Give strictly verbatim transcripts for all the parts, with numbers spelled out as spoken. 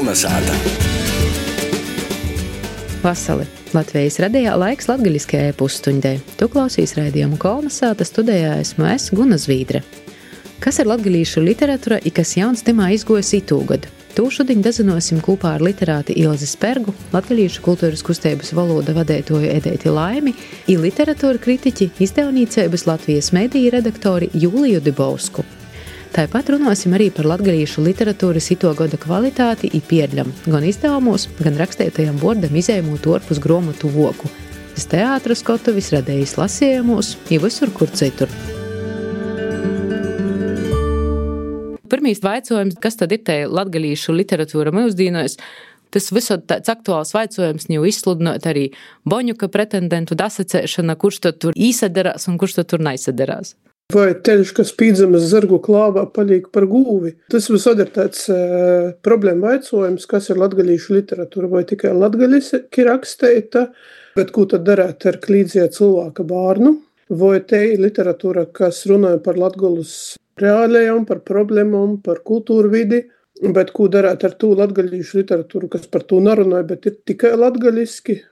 Kolnesāta. Vasali. Latvijas radijā laiks latgaļiskajai pusstundē. Tu klausīs raidījumu Kolnesāta, studijā esmu es, Guna Zvīdre. Kas ir latgalīšu literatūra i kas jauns temā izgojas itūgod? Tū šodien dazinosim kopā ar literāti Ilzi Spergu, latgalīšu kultūras kustības valoda vadētoju Edeiti Laimi i literatūra kritiķi, izdevnīceibas Latvijas mediju redaktori Jūliju Dibovsku. Tāpat runāsim arī par latgalīšu literatūras itogoda kvalitāti i pierļam, gan izdevumos, gan rakstētajam vordam izējumot orpus gromotu voku. Es teātra skotuvis radējis lasījumos i visur, kur citur. Pirmīs vaicojums, kas tad ir te latgalīšu literatūra mūsdīnos? Tas visot tāds aktuāls vaicojums jau izsludinot arī Boņuka pretendentu dasacēšana, kurš tad tur īsadarās un kurš tad tur naisadarās. Vai teļš, kas pīdzamas zargu klāvā, palīk par gūvi? Tas visod ir tāds uh, problēma vaicojums, kas ir latgalīšu literatūra, vai tikai latgaliski raksteita, bet ko tad darāt ar klīdzie cilvēka bārnu? Vai te ir literatūra, kas runāja par latgalus reālajām, par problēmām, par kultūru vidi, bet ko darāt ar tū latgalīšu literatūru, kas par to nerunāja, bet ir tikai latgaliski,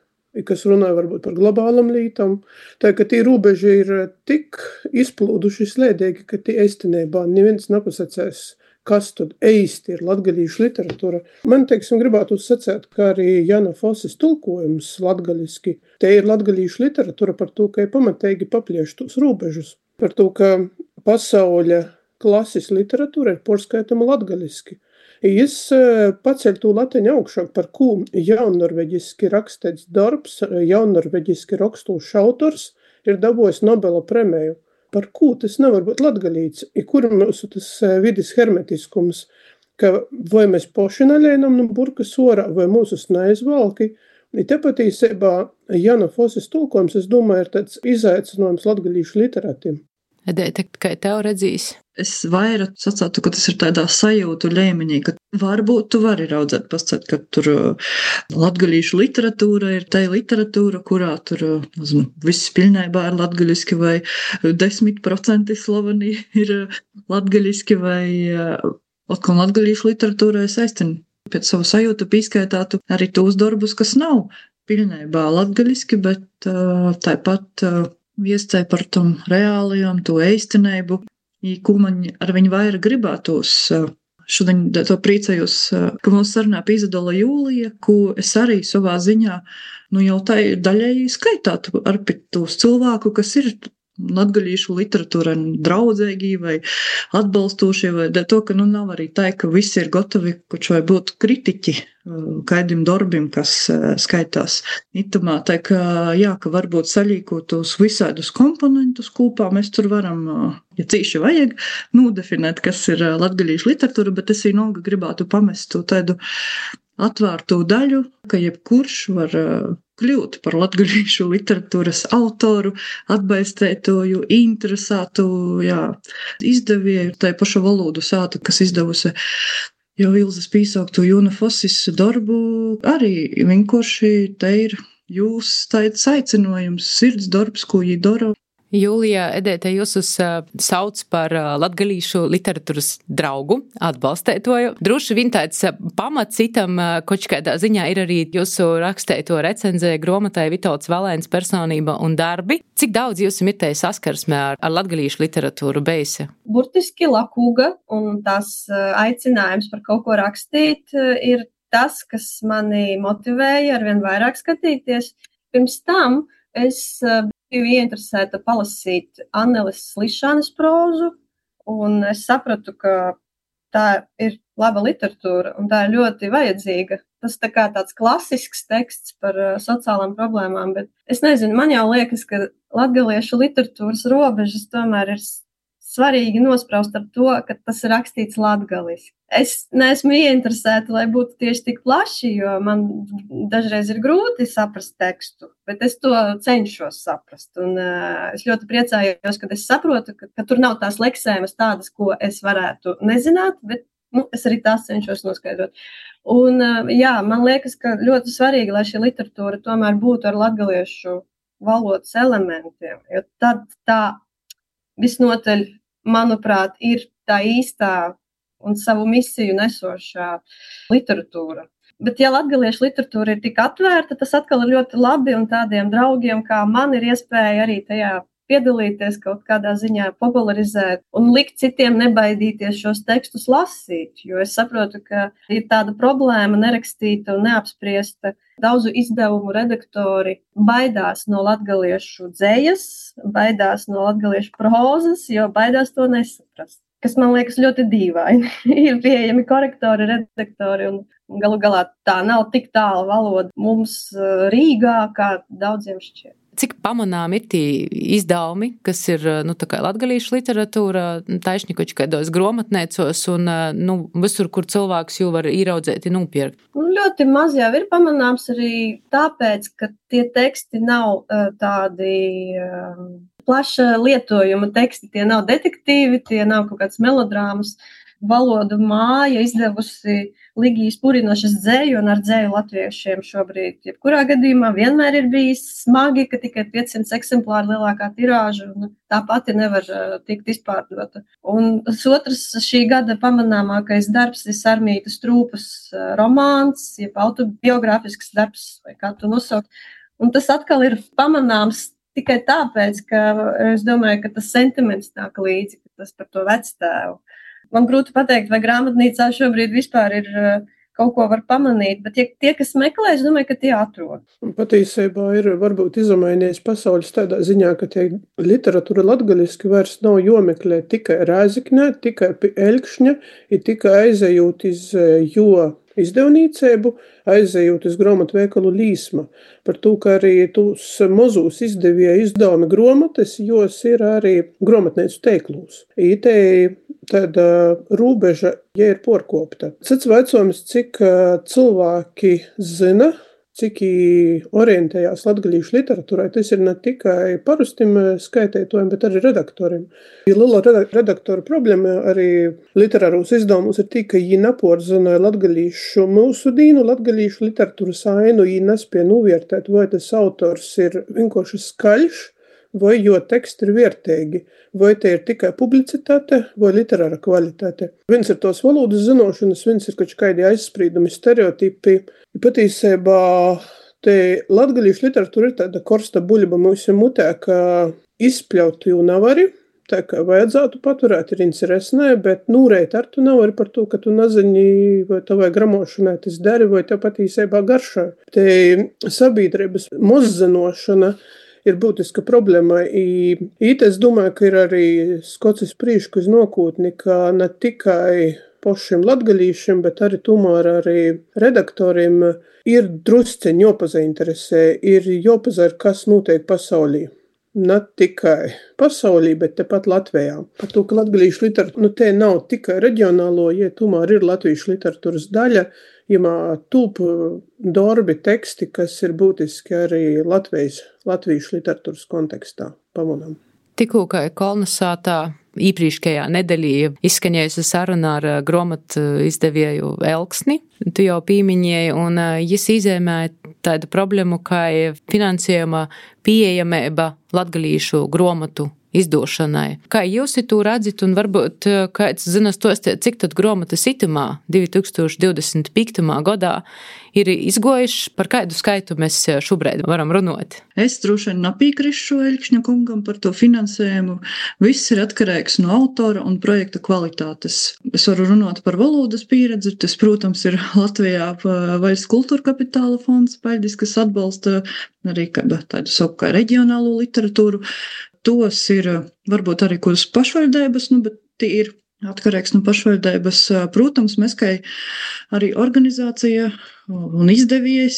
kas runāja varbūt par globālam lītam. Tā, ka tī rūbeži ir tik izplūduši slēdīgi, ka tī eistenībā neviens nepasacēs, kas tad eisti ir latgalīšu literatūra. Man, teiksim, gribētu sacēt, ka arī Jana Fosis tulkojums latgaliski, te ir latgalīšu literatūra par to, ka ir pamatīgi paplieš tos rūbežus, par to, ka pasauļa klases literatūra ir porskaitama latgaliski. Jis paceļ tū lateņu augšāk, par ko jaunnorveģiski rakstēts darbs, jaunnorveģiski rakstūšs autors ir dabojis Nobela premiju. Par ko tas nevar būt latgalīts? I kur mūsu tas vidis hermetiskums, ka vai mēs poši naļēnam no burkas orā, vai mūsus neizvalki. I te patīsībā Jana Fosis tulkojums, es domāju, ir tāds izaicinājums latgalīšu literatiem. Edeita, kā tev redzīs? Es vairāk sacātu, ka tas ir tādā sajūtu līmenī, ka varbūt tu vari raudzēt pascēt, ka tur latgalīšu literatūra ir tā literatūra, kurā tur zinu, viss pilnībā ir latgaliski vai desmit procenti slaveni ir latgaliski vai atkal latgalīšu literatūra es aiztinu pēc savu sajūtu pīskaitātu arī tos darbus, kas nav pilnībā latgaliski, bet tāpat viescei par tom reālijām, to eistineibu, i ko man ar viņu vairāk gribētos. Šodien to priecājos, ka mums sarunā Izadola Jūlija, ko es arī savā ziņā, nu jau tā daļēji skaitātu ar tos cilvēku, kas ir latgalīšu literatūra draudzēgī vai atbalstošie, vai to, ka nu nav arī tā, ka visi ir gotovi, kurš vai būt kritiķi kaidim darbim, kas skaitās itamā. Tā, ka jā, ka varbūt saļīkot tos visādus komponentus kopā, mēs tur varam, ja cīši vajag, nodefinēt, kas ir latgalīšu literatūra, bet es vienalga gribētu pamest to tādu atvērtu daļu, ka jebkurš var kļūt par latgalīšu literatūras autoru, atbalstētoju, interesētu, jā, izdevēju, tai pašu valodu sātu, kas izdevusi jau Ilzes pīsauktu Jana Fosis darbu, arī vienkārši te ir jūs tāds aicinājums, sirds darbs, ko jī dara. Jūlija, Edeita, jūs uz uh, sauc par uh, latgalīšu literatūras draugu, atbalstētoju. Droši vien tāds uh, pamats citam uh, koč kādā ziņā ir arī jūsu rakstēto recenzē gromatai Vitolds Valēns personība un darbi. Cik daudz jūs ir te saskarsmē ar, ar latgalīšu literatūru beisi? Burtiski lakūga, un tas uh, aicinājums par kaut ko rakstīt uh, ir tas, kas mani motivēja arvien vairāk skatīties. Pirms tam es uh, biju ieinteresēta palasīt Anneles Slišanas prózu, un es sapratu, ka tā ir laba literatūra, un tā ir ļoti vajadzīga. Tas tā kā tāds klasisks teksts par uh, sociālām problēmām, bet es nezinu, man jau liekas, ka latgaliešu literatūras robežas tomēr ir svarīgi nospraust ar to, ka tas ir rakstīts latgaliski. Es neesmu ieinteresēta, lai būtu tieši tik plaši, jo man dažreiz ir grūti saprast tekstu, bet es to cenšos saprast. Un uh, es ļoti priecājos, kad es saprotu, ka, ka tur nav tās leksēmas tādas, ko es varētu nezināt, bet nu, es arī tās cenšos noskaidrot. Un uh, jā, man liekas, ka ļoti svarīgi, lai šī literatūra tomēr būtu ar latgaliešu valodas elementiem, jo tad tā visnotaļ, manuprāt, ir tā īstā un savu misiju nesošā literatūra. Bet, ja latgaliešu literatūra ir tik atvērta, tas atkal ir ļoti labi, un tādiem draugiem kā man ir iespēja arī tajā piedalīties, kaut kādā ziņā popularizēt un likt citiem nebaidīties šos tekstus lasīt, jo es saprotu, ka ir tāda problēma nerakstīta un neapspriesta. Daudzu izdevumu redaktori baidās no latgaliešu dzejas, baidās no latgaliešu prozas, jo baidās to nesaprast, kas man liekas ļoti dīvaini. Ir pieejami korektori, redaktori, un galu galā tā nav tik tāla valoda mums Rīgā, kā daudziem šķiet. Cik pamanām ir tie izdevumi, kas ir nu, tā kā latgalīšu literatūra, taisnīkoči kādos gromatnēcos un nu, visur, kur cilvēks jau var ieraudzēt un nopirkt? Nu, ļoti maz jau ir pamanāms arī tāpēc, ka tie teksti nav uh, tādi uh, plaša lietojuma teksti, tie nav detektīvi, tie nav kaut kāds melodrāmas. Valodu māja izdevusi Ligijas Purinošas dzēju, un ar dzēju latviešiem šobrīd, jebkurā gadījumā, vienmēr ir bijis smagi, ka tikai piecsimt eksemplāri lielākā tirāža, un tā pati nevar uh, tikt izpārdota. Un otrs šī gada pamanāmākais darbs ir Sarmītas Trūpas uh, romāns, jeb autobiogrāfisks darbs, vai kā tu nosaukt. Un tas atkal ir pamanāms tikai tāpēc, ka es domāju, ka tas sentiments nāk līdzi, ka tas par to vectēvu. Man grūti pateikt, vai grāmatnīcā šobrīd vispār ir kaut ko var pamanīt, bet ja tie, kas meklē, es domāju, ka tie atrod. Patiesībā ir varbūt izmainījies pasaules tādā ziņā, ka tie literatūra latgaliski vairs nav jomeklē tikai Rēzeknē, tikai pie Elkšņa, ir tikai aizejūt iz jo izdevnīcēbu, aizejot uz grāmatu veikalu Līsma. Par to, ka arī tūs mozūs izdevīja izdevumi grāmatas, jos ir arī grāmatnīcu teiklūs. Itē tāda rūbeža, ja ir porkopta. Cits veicojums, cik cilvēki zina, cik orientējās latgalīšu literatūrai, tas ir ne tikai parustim skaitētojiem, bet arī redaktoriem. Liela redaktora problēma arī literārūs izdevumus ir tī, ka viņi neporzina latgalīšu mūsu dīnu, latgalīšu literatūras ainu, viņi nespēja novērtēt, vai tas autors ir vienkārši skaļš, vai jo teksti ir vērtīgi, vai te ir tikai publicitāte vai literāra kvalitāte. Viens ir tos valodas zinošanas, viens ir kaut kādi aizsprīdumi, stereotipi. Patiesībā te latgalīšu literatūra ir tāda korsta buļba mūsu mutē, ka izpļaut jau nevari, tā kā vajadzētu paturēt ir interesnē, bet nūrēt ar tu nevari par to, ka tu nezini, vai tavai gramošanai tas dari, vai tev patiesībā garšā. Te sabiedrības mozzinošana ir būtiska problēma. Īt es domāju, ka ir arī skocis prīšku uz nokūtni, ka ne tikai pošiem latgalīšiem, bet arī tomēr arī redaktoriem ir drusceņi jopazainteresē, ir jopazar, kas notiek pasaulī. Ne tikai pasaulī, bet tepat Latvijā. Par to, ka latgalīšu literatūra, nu te nav tikai reģionālo, ja tomēr ir latviešu literatūras daļa, jomā tūp darbi teksti, kas ir būtiski arī Latvijas, latviešu literatūras kontekstā pamanām. Tikko, kā Kolnesātā īprīškajā nedēļā izskaņējusi saruna ar grāmatu izdevēju Elksni, tu jau pīmiņēji, un jis izēmēja tādu problēmu, kā finansējuma pieejamība latgalīšu grāmatu izdošanai. Kā jūs to redzat, un varbūt kāds zinas tos, cik tad grāmatas itamā divi tūkstoši divdesmit piektajā gadā ir izgojuši, par kādu skaitu mēs šobrīd varam runāt? Es droši vien nepīkrišu Elkšņa kungam par to finansējumu. Viss ir atkarīgs no autora un projekta kvalitātes. Es varu runāt par valodas pieredzi. Tas, protams, ir Latvijā Valsts kultūra kapitāla fonds, paļdis, kas atbalsta arī tādu savu kā reģionālo literatūru. Tos ir varbūt arī kuras pašvaldības, nu, bet tie ir atkarīgs no pašvaldības. Protams, mēs kā arī organizācija un izdevējs,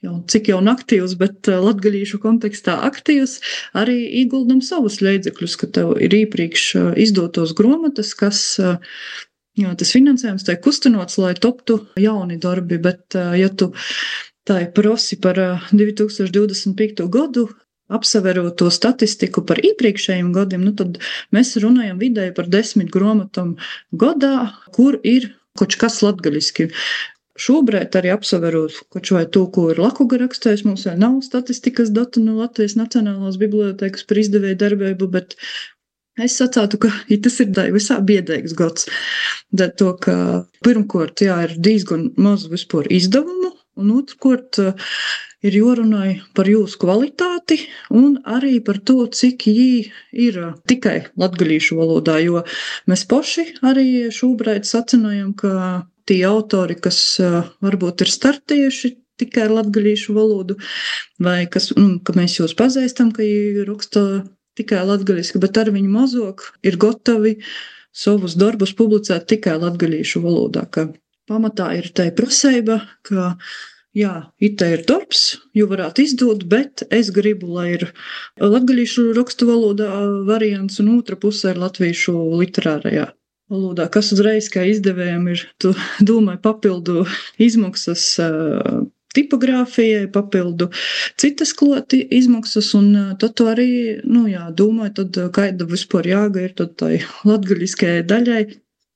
jau cik jau aktīvs, bet latgalīšu kontekstā aktīvs, arī ieguldam savus līdzekļus, ka tev ir iepriekš izdotos grāmatas, kas jā, tas finansējums tiek kustinots, lai toptu jauni darbi, bet ja tu tā prosi par divi tūkstoši divdesmit piekto gadu, apsaverot to statistiku par iepriekšējiem gadiem, nu tad mēs runājam vidēji par desmit grāmatām gadā, kur ir kaut kas latgaliski. Šobrīd arī apsaverot kaut vai to, ko ir Lakuga rakstējis, mums vēl nav statistikas datu no Latvijas Nacionālās bibliotēkas par izdevēju darbību, bet Es sacātu, ka ja tas ir visā biedēgs gads. Dēļ to, ka pirmkort, jā, ir diezgan maz vispār izdevumu, un otrkort ir jārunāj par jūsu kvalitāti un arī par to, cik jī ir tikai latgalīšu valodā, jo mēs paši arī šobrīd sacinājam, ka tie autori, kas varbūt ir startējuši tikai ar latgalīšu valodu, vai kas, nu, ka mēs jūs pazīstam, ka jī raksta tikai latgaliski, bet ar viņu mazāk ir gatavi savus darbus publicēt tikai latgalīšu valodā, ka pamatā ir tai prasība, ka jā, ite ir darbs, jo varētu izdot, bet es gribu, lai ir latgalīšu rakstu valodā variants un otra pusē ir latviešu literārajā valodā, kas uzreiz kā izdevējiem ir, tu domāju, papildu izmaksas tipogrāfijai, papildu citas kloti izmaksas, un tad tu arī, nu jā, domāju, tad kāda vispār jāga ir tad tai latgaliskajai daļai,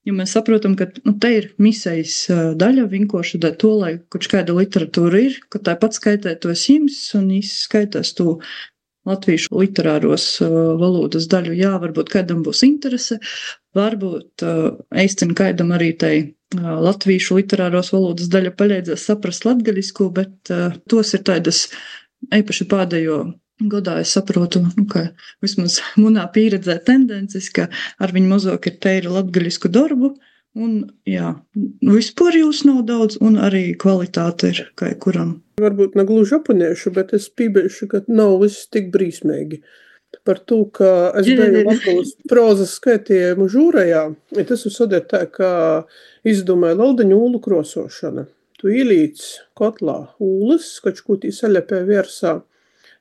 jo mēs saprotam, ka, nu, te ir misijas daļa, vienkārši dēļ to, lai kaut kāda literatūra ir, ka tāpat skaitētos jums, un izskaitās to latviešu literāros valodas daļu, jā, varbūt kādam būs interese, varbūt eistin kādam arī tai latviešu literāros valodas daļa palīdzēs saprast latgalisku, bet uh, tos ir tādas, eipaši pēdējo gadā es saprotu, nu, ka vismaz munā pieredzē tendences, ka ar viņu mazāk ir teiri latgalisku darbu, un jā, vispār jūs nav daudz, un arī kvalitāte ir kā kuram. Varbūt negluži oponiešu, bet es pībeļšu, ka nav viss tik brīsmīgi. Par to, ka es biju Latvijas prozas skaitījumu žūrajā, ja tas ir tā, ka izdomāja laudaņu ūlu krosošana. Tu ielīc kotlā ūles, kaut ko tī saļapē viersā,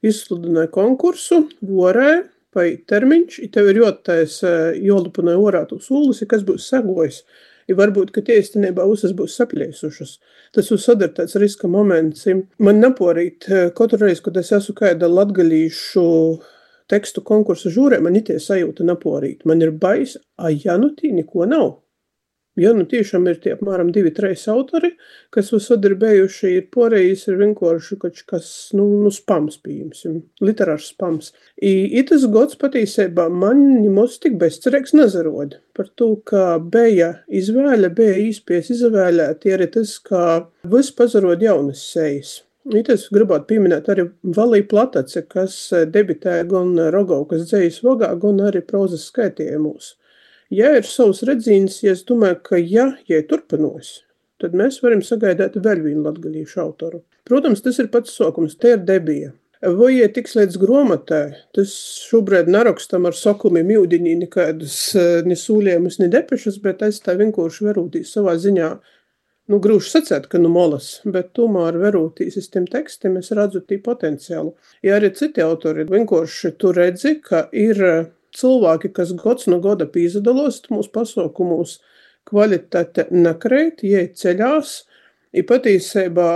izsludināja konkursu, vorē, pai termiņš, i tev ir jotais jolupunai orā tūs ūles, i kas būs sagojis. I varbūt, ka tie īstenībā visas būs saplēsušas. Tas ir sadartāts riska moments. Man naporīt katru reizi, kad es esmu kāda latgalīšu tekstu konkursu žūrē, man itie sajūta naporīt. Man ir bais, a ja nu tī neko nav. Ja nu tiešām ir tie apmēram divi, trīs autori, kas visad ir bijuši, ir porējis, ir vienkārši kaut kas, nu, nu spams, pieņemsim, literārs spams. I, i tas gods patīsībā man mums tik bezcerīgs nezarod. Par to, ka bija izvēle, bija īspies izvēlēt, ir tas, ka viss pazarod jaunas sejas. I tas gribētu pieminēt arī Valī Platace, kas debitēja gan Rogovkas dzejas vogā, gan arī prozas skaitījumos. Ja ir savs redzīns, ja es domāju, ka ja, ja turpinos, tad mēs varam sagaidāt vēl vienu latgalīšu autoru. Protams, tas ir pats sokums, te ir debija. Vai ja tiks līdz gromatai, tas šobrīd nerakstam ar sokumiem jūdiņī nekādus ne sūlējumus, ne depešas, bet es tā vienkārši verūtīs savā ziņā, nu, grūši sacēt, ka nu molas, bet tomēr verūtīs es tiem tekstiem, es redzu tī potenciālu. Ja arī citi autori vienkārši tu redzi, ka ir cilvēki, kas gods no goda pīzadalos mūsu pasaukumos, kvalitāte nakreit, jie ceļās, i patīsībā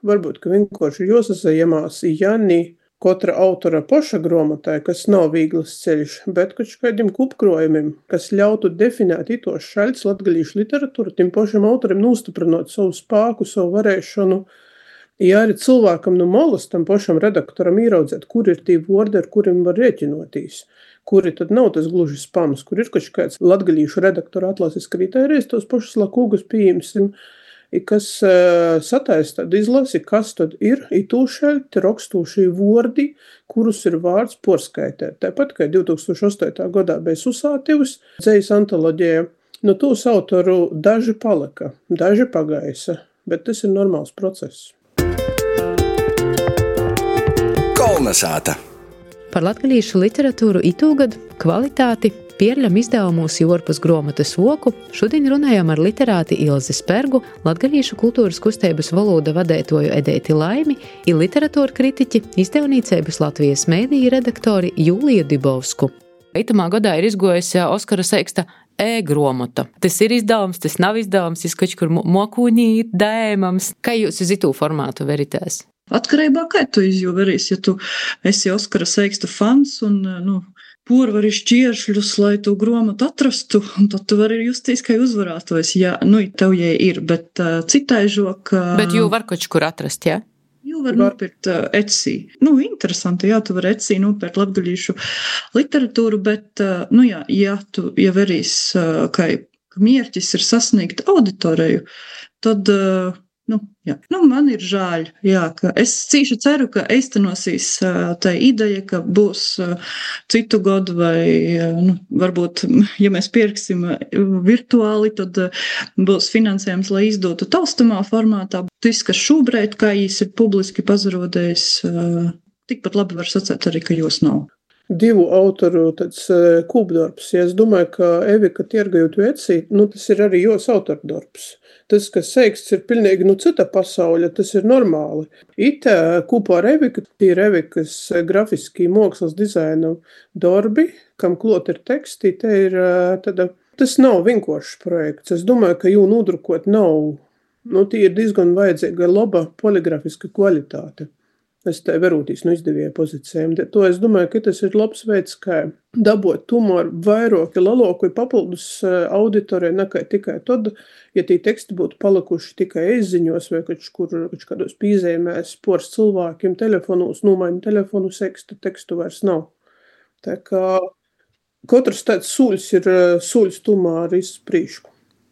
varbūt, ka vienkārši jāsasajamās Jani katra autora poša gromatai, kas nav vīglas ceļš, bet kaut kādiem kupkrojumiem, kas ļautu definēt itos šaļts latgalīšu literatūru, tim pošam autorim nostiprinot savu spāku, savu varēšanu. Ja arī cilvēkam no malas tam pošam redaktoram īraudzēt, kur ir tī vordi, ar kuriem var rēķinotīs, kuri tad nav tas gluži spams, kur ir kaut kāds latgalīšu redaktora atlases kritērijs, tos pašus lakūgus pieņemsim, kas uh, sataisa tādu izlasi, kas tad ir, i tūšaļti rakstūšī vordi, kurus ir vārds porskaitēt. Tāpat, kā divi tūkstoši astotajā gadā bija Susātivs, dzejas antoloģija, no tūs autoru daži palika, daži pagaisa, bet tas ir normāls process. Kolnesāta. Par latgalīšu literatūru itūgad kvalitāti pierļam izdevumos Jorpas gromatas voku. Šodien runājām ar literāti Ilzi Spergu, latgalīšu kultūras kustības valoda vadētoju Edēti Laimi i literatūra kritiķi, izdevnīceibas Latvijas mēdīja redaktori Jūliju Dibovsku. Itamā gadā ir izgojis Oskara Seiksta e-gromata. Tas ir izdevums, tas nav izdevums, tas kaut kur mokūnī dēmams. Kā jūs uz itū formātu veritēs? Atkarībā, kā tu izjūverīs, ja tu esi Oskara Seiksta fans un, nu, porvari šķieršļus, lai tu gromatu atrastu, un tad tu vari justies, kā uzvarētos, ja, nu, tev jē ir, bet uh, citaižok... Uh... Bet jū var kaut kur atrast, jā? Ja? Jau var nopirkt uh, Etsy. Nu, interesanti, jā, tu var Etsy nopirkt latgalīšu literatūru, bet, uh, nu jā, ja tu ieverīs, uh, ka mierķis ir sasniegt auditoriju, tad, uh, nu, jā, nu, man ir žēl, jā, ka es cīši ceru, ka eistanosīs uh, tā ideja, ka būs uh, citu gadu vai, uh, nu, varbūt, ja mēs pirksim virtuāli, tad uh, būs finansējums, lai izdotu taustamā formātā. Tas, kas šobrīd, kā jīs ir publiski pazarodējis, uh, tikpat labi var sacēt arī, ka jūs nav. Divu autoru tāds uh, kūpdarbs. Ja es domāju, ka Evika tirgajot Etsy, nu, tas ir arī jos autordarbs. Tas, kas seiksts, ir pilnīgi nu, cita pasauļa, tas ir normāli. Ite kopā ar Eviku, tie ir Evikas grafiskī mākslas dizaina darbi, kam klot ir teksti, te ir tada, tas nav vienkāršs projekts. Es domāju, ka jū nodrukot nav, nu, tie ir diezgan vajadzīga laba poligrafiska kvalitāte. Es te verūtīs no izdevīja pozīcijām. To es domāju, ka tas ir labs veids, kā dabot tomēr vairāki lielāku papildus auditoriju nekā tikai tad, ja tie teksti būtu palikuši tikai izziņos vai kaut kur kādos pīzējumēs pors cilvēkiem telefonos, nomaini telefonu seksta, tekstu vairs nav. Tā kā katrs tāds sūļs ir sūļs tomēr izprīšku.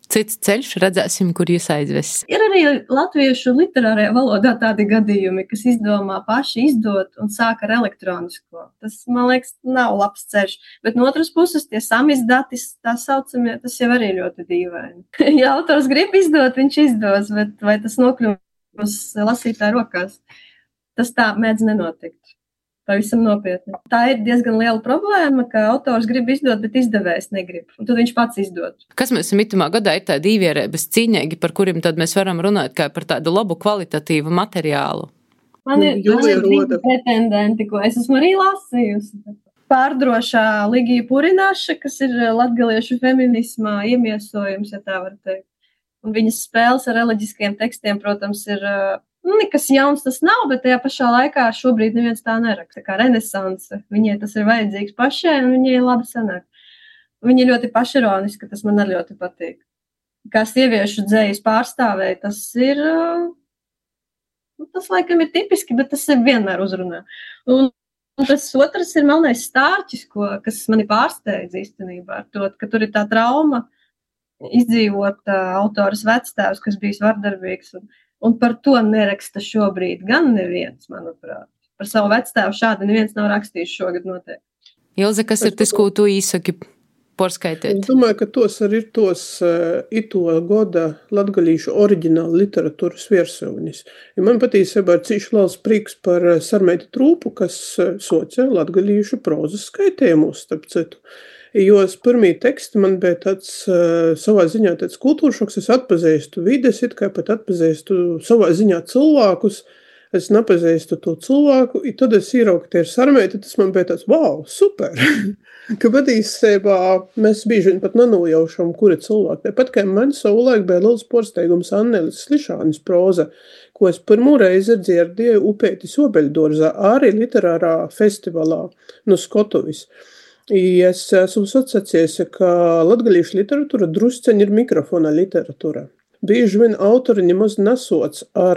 Cits ceļš, redzēsim, kur jūs aizves. Ir arī latviešu literārajā valodā tādi gadījumi, kas izdomā paši izdot un sāk ar elektronisko. Tas, man liekas, nav labs ceļš. Bet no otras puses, tie samizdati, tā saucamie, tas jau arī ļoti dīvaini. Ja autors grib izdot, viņš izdos, bet vai tas nokļūs lasītāju rokās? Tas tā mēdz nenotikt. Pavisam nopietni. Tā ir diezgan liela problēma, ka autors grib izdot, bet izdevējs negrib. Un tad viņš pats izdod. Kas mēs itamā gadā ir tādi īvierēbas cīņēgi, par kuriem tad mēs varam runāt kā par tādu labu kvalitatīvu materiālu? Man ir, man ir divi pretendenti, ko es esmu arī lasījusi. Pārdrošā Ligija Purināša, kas ir latgaliešu feminismā iemiesojums, ja tā var teikt. Un viņas spēles ar reliģiskiem tekstiem, protams, ir... Nu, nekas jauns tas nav, bet tajā pašā laikā šobrīd neviens tā neraksta, kā renesanse. Viņai tas ir vajadzīgs pašai, un viņai labi sanāk. Viņa ir ļoti pašironiska, tas man arī ļoti patīk. Kā sieviešu dzējas pārstāvēja, tas ir, nu, tas laikam ir tipiski, bet tas ir vienmēr uzrunā. Un, un tas otrs ir Melnais stārķis, ko, kas mani pārsteidz īstenībā ar to, ka tur ir tā trauma izdzīvot uh, autoras vectēvs, kas bijis vardarbīgs un Un par to neraksta šobrīd gan neviens, manuprāt. Par savu vectēvu šādi neviens nav rakstījis šogad noteikti. Ilze, kas ir tas, ko tu īsaki porskaitēt? Es domāju, ka tos arī ir tos uh, ito goda latgalīšu oriģināla literatūras viersaunis. Ja man patīsībā ir cīši liels prieks par Sarmeiti Trūpu, kas uh, soca latgalīšu prozas skaitējumus, starp citu. Jo pirmie teksti man bija tāds uh, savā ziņā tāds kultūršoks, es atpazīstu vides, it kā pat atpazīstu savā ziņā cilvēkus, es nepazīstu to cilvēku, un tad es ieraugu, ka ir Sarmeita, tas man bija tāds, wow, super, ka patiesībā mēs bieži vien pat nenojaušam, kuri cilvēki. Tāpat kā man savulaik bija liels porsteigums Annelis Slišānis proza, ko es pirmo reizi dzirdēju Upeitis Obeļdorzā, arī literārā festivalā no Skotuvis. I es esmu sacījies, ka latgalīšu literatūra drusceņi ir mikrofona literatūra. Bieži vien autori nemaz nesoc ar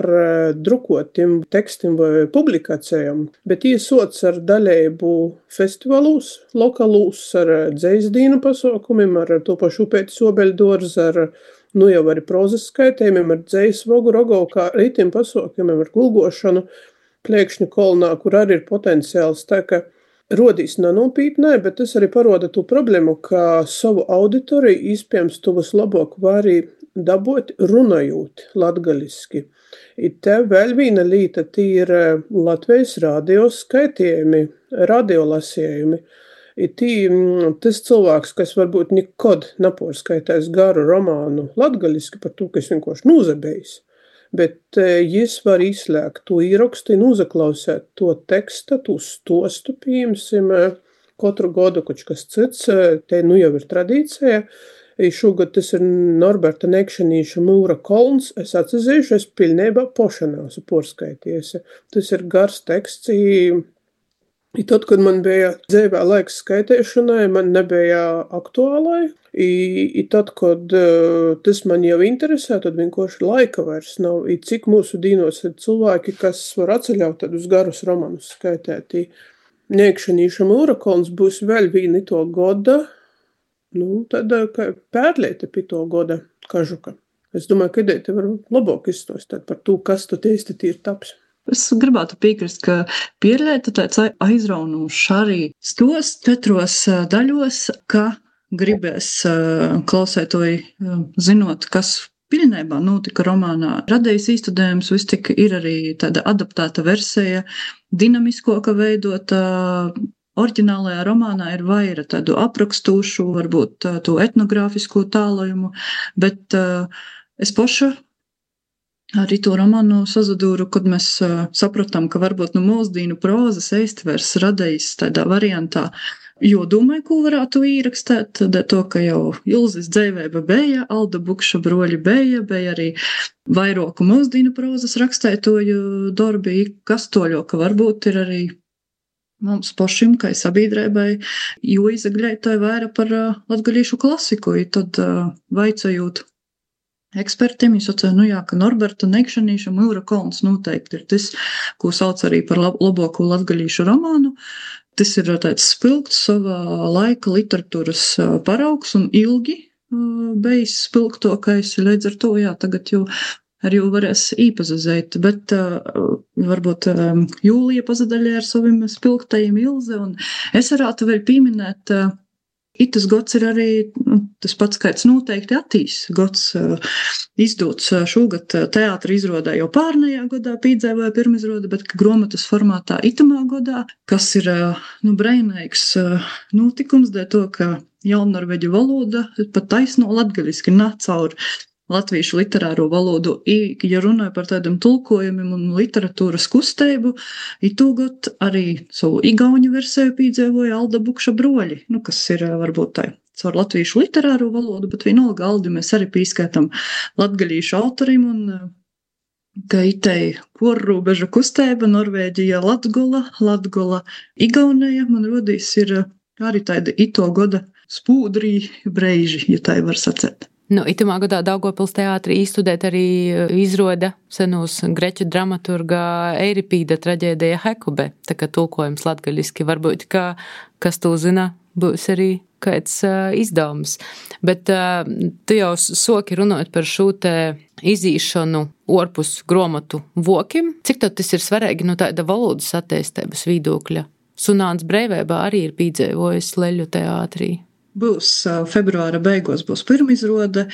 drukotiem tekstiem vai publikācijām, bet iesoc ar daļēbu festivālūs, lokalūs, ar dzejsdīnu pasaukumiem, ar to pašu Upeitis Obeļdorz, ar, nu jau arī prozas skaitējumiem, ar dzejas vogu rogovkā, rītiem pasaukumiem, ar gulgošanu, Pliekšņu kolnā, kur arī ir potenciāls. Tā ka rodīs nenopītnē, bet tas arī paroda to problēmu, ka savu auditoriju iespējams to vislabāk var arī dabūt runājot latgaliski. I te vēl viena līta, tie ir Latvijas radio skaitījumi, radiolasījumi. I tī, tas cilvēks, kas varbūt nekad nepārskaitās garu romānu latgaliski par to, kas vienkārši nūzabējis, bet jis var izslēgt to īrakstu un uzaklausēt to teksta, to stostu, pieņemsim, katru gadu kaut kas cits, te nu jau ir tradīcija. Šogad tas ir Norberta Nekšanīša Mūra kolns, es atcezīšu, es pilnībā pošanās porskaities. Tas ir gars teksts, I tad, kad man bija dzīvē laiks skaitēšanai, man nebija aktuālai. I, i tad, kad uh, tas man jau interesē, tad vienkārši laika vairs nav. I cik mūsu dīnos ir cilvēki, kas var atceļaut tādus garus romanus skaitēt. I Niekšanīša Mūrakolns būs vēl viena to goda, nu, tāda kā pērliete pie to goda kažuka. Es domāju, ka ideja te var labāk izstostāt par to, kas tu teisti ir taps. Es gribētu piekrist, ka pierlieta tāds aizraunošs arī stos četros daļos, ka gribēs klausētoji zinot, kas pilnībā notika romānā. Radējis īstudējums vis tik ir arī tāda adaptēta versija, dinamiskoka veidota. Oriģinālajā romānā ir vaira tādu aprakstūšu, varbūt to etnogrāfisko tālojumu, bet es paša arī to romānu sazadūru, kad mēs uh, sapratām, ka varbūt no mūsdīnu prozas eistvers radījis tādā variantā, jo domāju, ko varētu īrakstēt, tad to, ka jau Ilzes dzeivēba beja, Alda Bukša broļi beja, beja arī vairoku mūsdīnu prozas rakstētoju darbi, kas toļo, ka varbūt ir arī mums pašim, kā sabiedrībai, jo izagļētāji vaira par uh, latgalīšu klasiku, i tad uh, vaicājot ekspertiem, es atceru, nu jā, ka Norberta Niekšanīša Mūrakolns noteikti ir tas, ko sauc arī par lab- labāko latgalīšu romānu. Tas ir tāds spilgts savā laika literatūras paraugs un ilgi bijis spilgtokais, līdz ar to, jā, tagad jau arī varēs īpazazēt, bet uh, varbūt um, Jūlija pazadaļē ar saviem spilgtajiem Ilze, un es varētu vēl pieminēt uh, Itas gods ir arī nu, tas pats skaits noteikti attīs. Gods uh, izdots uh, šogad teātra izrodē jau pārnajā godā pīdzēvoja pirmizroda, bet gromatas formātā itamā godā, kas ir uh, nu, breinīgs uh, notikums, dēļ to, ka jaunnorveģu valoda pat taisno latgaliski nāk caur latviešu literāro valodu. I, ja runāju par tādiem tulkojumiem un literatūras kusteibu, i tūgot arī savu igauņu versiju pīdzēvoja Alda Bukša broļi, nu, kas ir varbūt tā caur latviešu literāro valodu, bet vienalga Aldi mēs arī pīskaitam latgalīšu autorim un ka itei porrūbeža kusteiba Norvēģija Latgola, Latgola Igaunija, man rodīs ir arī tāda ito goda spūdrī breiži, ja tā var sacēt. Nu, itamā gadā Daugavpils teātrī izstudēt arī izroda senūs greķu dramaturga Eiripīda traģēdija Hekube, tā kā tulkojums latgaļiski varbūt, ka, kas to zina, būs arī kāds uh, izdevums. Bet uh, tu jau soki runājot par šo te izīšanu orpus gromatu vokim. Cik tad tas ir svarīgi no tāda valodas attīstības viedokļa? Sunāns Breivībā arī ir pīdzēvojis Leļu teātrī. Būs februāra beigos, būs pirmizrode.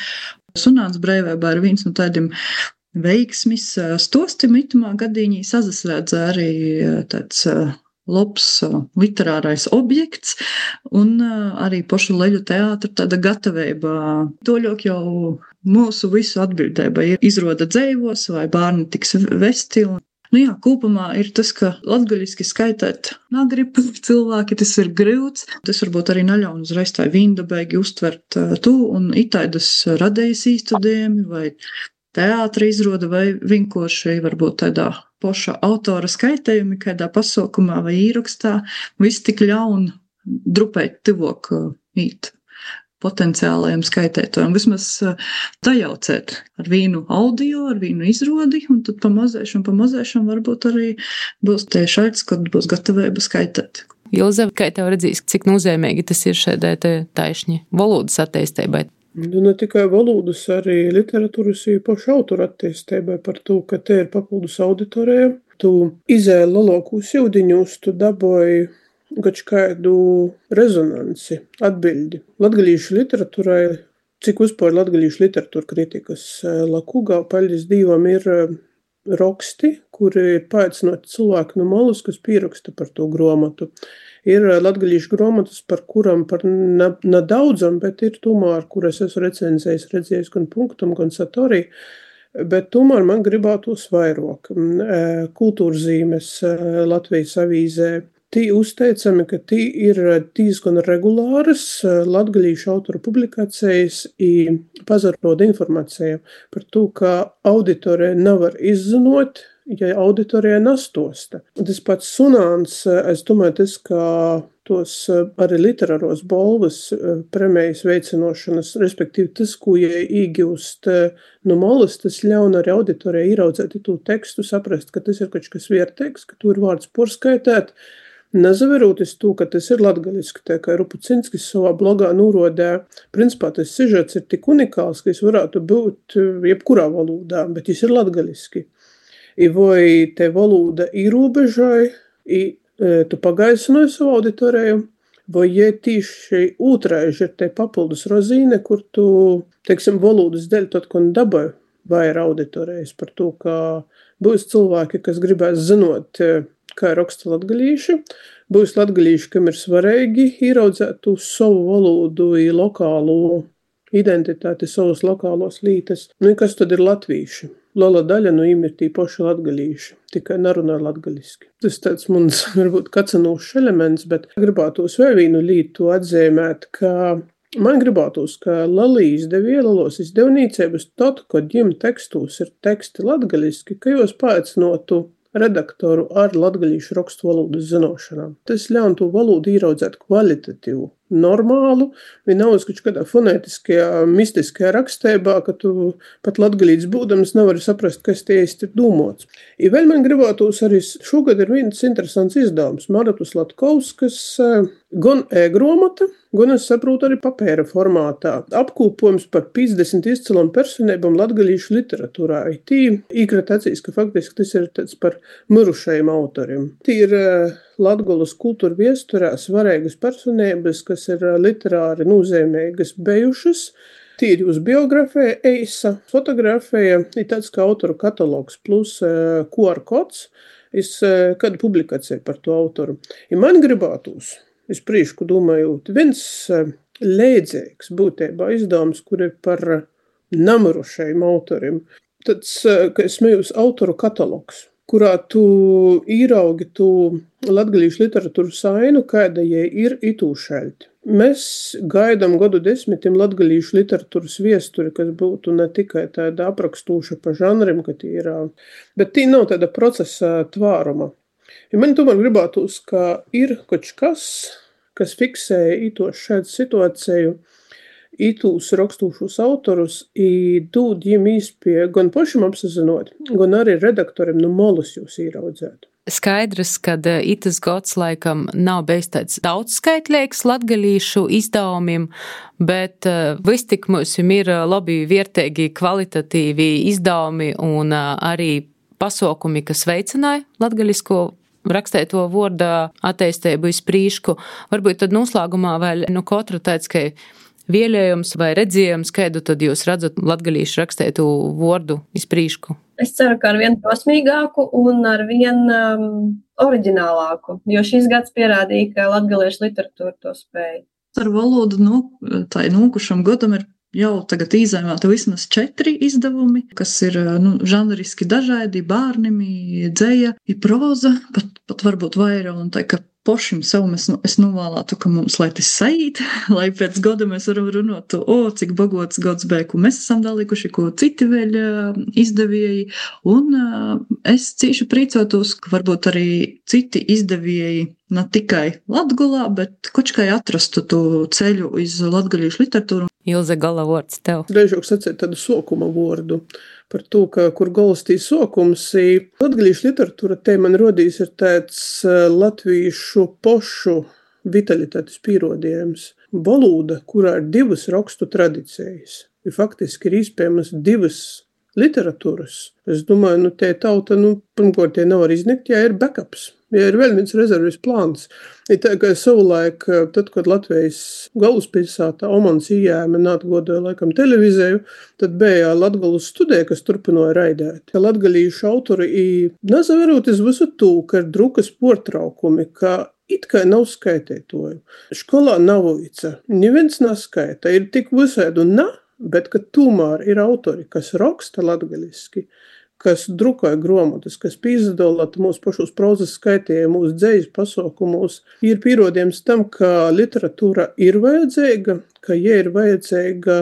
Sunāns Breivībā ir viens no tādiem veiksmis stostim itamā gadīņī sazasrēdz arī tāds labs literārais objekts un arī pašu Leļu teātra tāda gatavība. Toļok jau mūsu visu atbildība ir izroda dzeivos vai bērni tiks vesti. Nu jā, kopumā ir tas, ka latgaļiski skaitēt nagrib cilvēki, tas ir grūts. Tas varbūt arī neļaun uzreiz tā vīndabēgi uztvert to, un itaidas radējas īstudējumi vai teātra izroda vai vienkārši varbūt tādā poša autora skaitējumi, kādā pasaukumā vai īrakstā, viss tik ļaun drupēt tivok īt potenciālajiem skaitētojiem. Vismaz tajaucēt ar vīnu audio, ar vīnu izrodi, un tad pamazēšam, pamazēšam varbūt arī būs tie šaits, kad būs gatavība skaitēt. Ilze, kā tev redzīs, cik nozīmīgi tas ir šādai taišņi valodas attīstībai? Nu, ne tikai valodas, arī literatūras ir pašu autora attīstībai par to, ka te ir papildus auditorija. Tu izēli lalokūs jūdiņus, tu daboji gač kādu rezonansi, atbildi. Latgalīšu literatūrai, cik uzpār latgalīšu literatūra kritikas Lakūgā, paļģis Dīvam, ir raksti, kuri ir paaicinoti cilvēki no malas, kas pieraksta par to gromatu. Ir latgalīšu gromatas, par kuram par nedaudzam, bet ir tomēr, kuras esmu recenzējis, redzējis gan punktam, gan satorī, bet tomēr man gribētos vairāk. Kultūrzīmes Latvijas avīzē. Tī uzteicami, ka tī ir diezgan regulāras latgalīšu autora publikācijas i pazaroda informācija par to, ka auditorija nevar izzinot ja auditorijai nastosta. Tas pats sunāns, es domāju, tas, kā tos arī literāros balvas premijas veicinošanas, respektīvi tas, ko ja īgūst no malas, tas ļaun arī auditorijai ieraudzēt to tekstu, saprast, ka tas ir kaut kas vierteiks, ka tu ir vārds porskaitēt, nezaveroties to, ka tas ir latgaliski, tā kā Rupucinskis savā blogā norodē. Principā tas sižets ir tik unikāls, ka es varētu būt jebkurā valodā, bet jis ir latgaliski. I vai te valoda īrūbežoja, i tu pagaisinoji savu auditoriju, vai ja tīši ūtraiži ir te papildus rozīne, kur tu, teiksim, valodas dēļ tad, kon dabai vaira auditorijas par to, ka būs cilvēki, kas gribēs zinot, kā raksta latgalīši, būs latgalīši, kam ir svarīgi ieraudzēt tu savu valodu i lokālu identitāti, savus lokālos lītes. Nu, kas tad ir latvīši? Liela daļa no viņiem ir tī paši latgalīši, tikai nerunā latgaliski. Tas tāds mums varbūt kacanūšs elements, bet gribētos vēl vienu lītu atzīmēt, ka man gribētos, ka lelī izdevie, lelos izdevnīcības tad, kad jim tekstos ir teksti latgaliski, ka jūs paaicinotu redaktoru ar latgalīšu rakstu valodas zinošanām. Tas ļaun to valodu ieraudzēt kvalitatīvu, normālu, vienalga kaut kādā fonētiskajā, mistiskajā rakstībā, ka tu pat latgalīts būdams nevari saprast, kas tie īsti ir domāts. I vēl man gribētos arī šogad ir viens interesants izdevums, Maratus Latkovskas, gan e-gromata, gan es saprotu arī papēra formātā. Apkūpojums par piecdesmit izcilām personībām latgalīšu literatūrā. I tī īkrat acīs, ka faktiski tas ir tāds par mirušajiem autoriem. Tī ir Latgolas kultūra viesturē svarīgas personības, kas ir literāri nozīmīgas bijušas. Tī ir uz biografija, eisa, fotografija, ir tāds kā autoru katalogs plus Q R kods, ir kāda publikācija par to autoru. I man gribētos, es prīšku domājot, viens līdzīgs būtībā izdevums, kur ir par namirušajiem autoriem. Tāds, ka es smējos, autoru katalogs, kurā tu īraugi tu latgalīšu literatūru sainu, kāda jai ir itū šaļti. Mēs gaidām gadu desmitiem latgalīšu literatūras viesturi, kas būtu ne tikai tāda aprakstūša pa žanrim, ka tī ir, bet tī nav tāda procesa tvāruma. Ja man tomēr gribētos, ka ir kaut kas, kas fiksēja ito šādu situāciju, itūs rakstūšus autorus i dūd jim īspēju gan pašam apsazinot, gan arī redaktorim no malas jūs īraudzēt. Skaidrs, ka itas gads laikam nav bijis tāds daudzskaitlīgs latgalīšu izdevumiem, bet vis tik mums ir labi, vērtīgi, kvalitatīvi izdevumi un arī pasaukumi, kas veicināja latgalisko rakstēto vārda attīstību iz prīšku. Varbūt tad noslēgumā vēl no katra tāds, ka vielējums vai redzējums, kādu tad jūs redzat latgalīšu rakstētu vārdu iz prīšku? Es ceru, ka ar vien prasmīgāku un ar vien um, oriģinālāku, jo šis gads pierādīja, ka latgaliešu literatūra to spēja. Ar valodu, nu, tā nūkušam gadam ir jau tagad izēmēta vismaz četri izdevumi, kas ir, nu, žanriski dažādi, bārnimi, dzeja, i proza, pat, pat varbūt vairāk, un tā, ka pošim savu mēs, nu, es novēlētu, ka mums, lai tas saīt, lai pēc gada mēs varam runāt, o, cik bagots gads bija, ko mēs esam dalīkuši, ko citi vēl izdevieji, un es cīši prīcotos, ka varbūt arī citi izdevieji ne tikai Latgolā, bet kočkai atrastu to ceļu iz latgalīšu literatūru. Ilze, gala vārds tev. Dažāk sacēt tādu sokuma vārdu par to, ka kur galas tī sokums, latgalīšu literatūra te man rodīs ir tāds latvīšu pošu vitalitātes pierodījums. Valoda, kurā ir divas rakstu tradicijas, ir faktiski ir iespējamas divas literatūras. Es domāju, nu, te tauta, nu, pirmkārt, tie nav arī izniegt, ja ir backups, ja ir vēl viens rezervis plāns. Ir tā, ka savulaik, tad, kad Latvijas galvaspilsētā Omans ījēma neatgodoja laikam televizēju, tad bija Latgolas studija, kas turpināja raidēt. Latgalīšu autori i nezaveroties visu to, ka ir drukas portraukumi, ka it kā nav skaitītoju. Školā nav vica, neviens neskaita, ir tik visādi un ne, bet ka tomēr ir autori, kas raksta latgaliski, kas drukoja gromotas, kas pīzdolata mūsu pašos prozas skaitīja, mūsu dzejas pasaukumos, ir pierodījums tam, ka literatūra ir vajadzīga, ka ja ir vajadzīga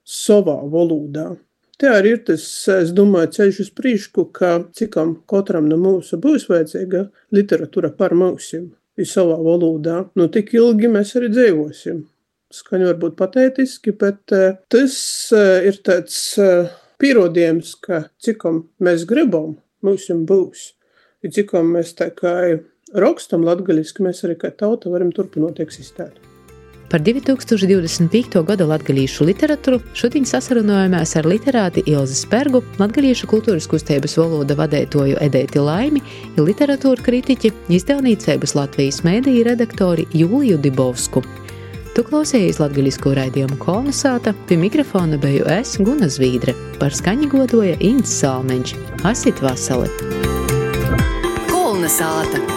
savā valodā. Te arī ir tas, es domāju, ceļš uz priekšu, ka cikam katram no mūsu būs vajadzīga literatūra par mūsim, ir savā valodā. Nu, tik ilgi mēs arī dzīvosim. Skaņu varbūt patētiski, bet tas ir tāds pierādījums, ka cikam mēs gribam, mūsim būs. I cikam mēs tā kā rakstam latgaliski, mēs arī kā tauta varam turpinot eksistēt. Par divi tūkstoši divdesmit piekto gada latgalīšu literatūru šodien sasarunājumās ar literāti Ilzi Spergu, latgalīšu kultūras kustības valoda vadētoju Edēti Laimi, literatūra kritiķi, izdevnīcības Latvijas mēdīju redaktori Jūliju Dibovsku. Tu klausējies latgalisko raidījumu Kolnesāta, pie mikrofona beju es, Guna Zvīdre, par skaņu godoja Ints Salmeņš. Asit vasali! Kolnesāta!